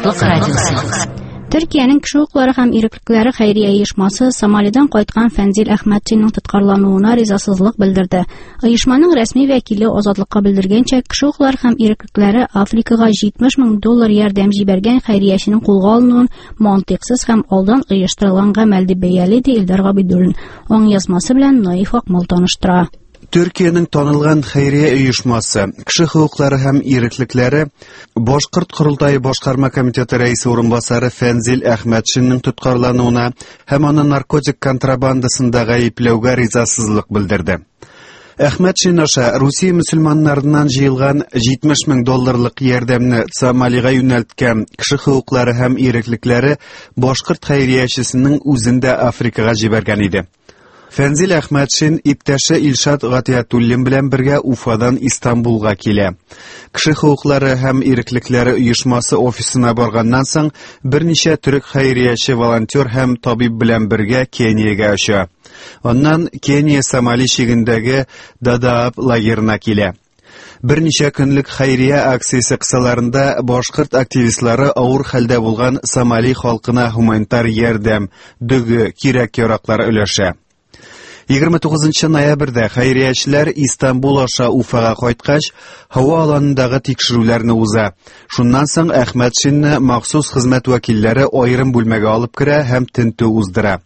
Азатлык радиосы. Төркиянең кеше хокуклары һәм иреклекләре хәйрия оешмасы Сомалидан кайткан Фәнзил Әхмәтшинның тоткарлануына ризасызлык белдерде. Оешманың рәсми вәкиле Азатлыкка белдергәнчә, кеше хокуклары һәм иреклекләре Африкага 70 мең доллар ярдәм җибәргән хәйрияченең кулга алынуын мантыйксыз һәм алдан оештырылган гамәл дип бәяли, ди Илдар Габидуллин. Аң язмасы белән Наиф Акмал таныштыра. Төркиянең танылган хәйрия оешмасы Кеше хокуклары һәм иреклекләре Башкорт корылтае башкарма комитеты рәисе урынбасары Фәнзил Әхмәтшинның тоткарлануына һәм аны наркотик контрабандасында гаепләүгә ризасызлык белдерде. Әхмәтшин аша Русия мөселманнарыннан җыелган 70 мең долларлык ярдәмне Сомалига юнәлткән Кеше хокуклары һәм иреклекләре башкорт хәйриячесенең үзен дә Африкага җибәргән иде. Фәнзил Әхмәтшин иптәше Илшат Гатиятуллин белән бергә Уфадан Истанбулга килә. Кеше хокуклары һәм иреклекләре оешмасы офисына барганнан соң берничә төрек хәйрияче волонтер һәм табиб белән бергә Кениягә оча. Аннан Кения Сомали чигендәге Дадааб лагерына килә. Берничә көнлек хәйрия акциясе кысаларында башкорт активистлары авыр хәлдә булган Сомали халкына гуманитар ярдәм, дөге, кирәк-яраклар өләшә. 29 ноябрьдә хәйриячеләр Истанбул аша Уфага кайткач, һава аланындагы тикшерүләрне уза. Шуннан соң Әхмәтшинны махсус хезмәт вәкилләре аерым бүлмәгә алып керә һәм тентү уздыра.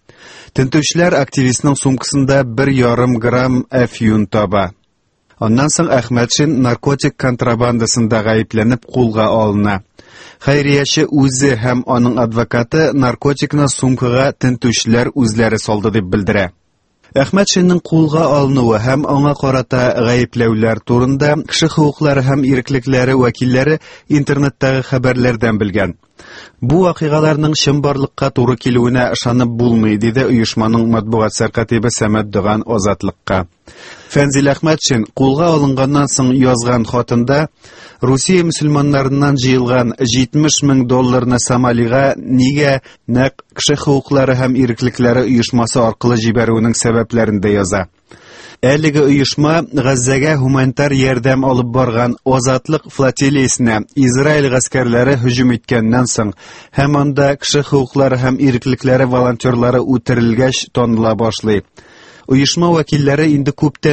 Тентүчеләр активистның сумкасында 1,5 грамм әфьюн таба. Аннан соң Әхмәтшин наркотик контрабандасында гаепләнеп кулга алына. Хәйрияче үзе һәм аның адвокаты наркотикны сумкага тентүчеләр үзләре салды дип белдерә. Әхмәтшинның кулга алынуы һәм аңа карата гаепләүләр турында кеше хокуклары һәм иреклекләре вәкилләре интернеттагы хәбәрләрдән белгән. Бу вакыйгаларның чынбарлыкка туры килүенә ышанып булмый, диде оешманың матбугат сәркатибе Сәмәт Доган Азатлыкка. Фәнзил Әхмәтшин кулга алынганнан соң язган хатында Русия мөселманнарыннан җыелган 70 мең долларны Сомалига нигә нәкъ кеше хокуклары һәм иреклекләре оешмасы аркылы җибәрүенең сәбәпләрен дә яза. Әлеге оешма Газзәгә гуманитар ярдәм алып барган Азатлык флотилиясенә Израиль гаскәрләре һөҗүм иткәннән соң һәм анда кеше хокуклары һәм иреклекләре волонтерлары үтерелгәч таныла башлый. Оешма вәкилләре инде күптән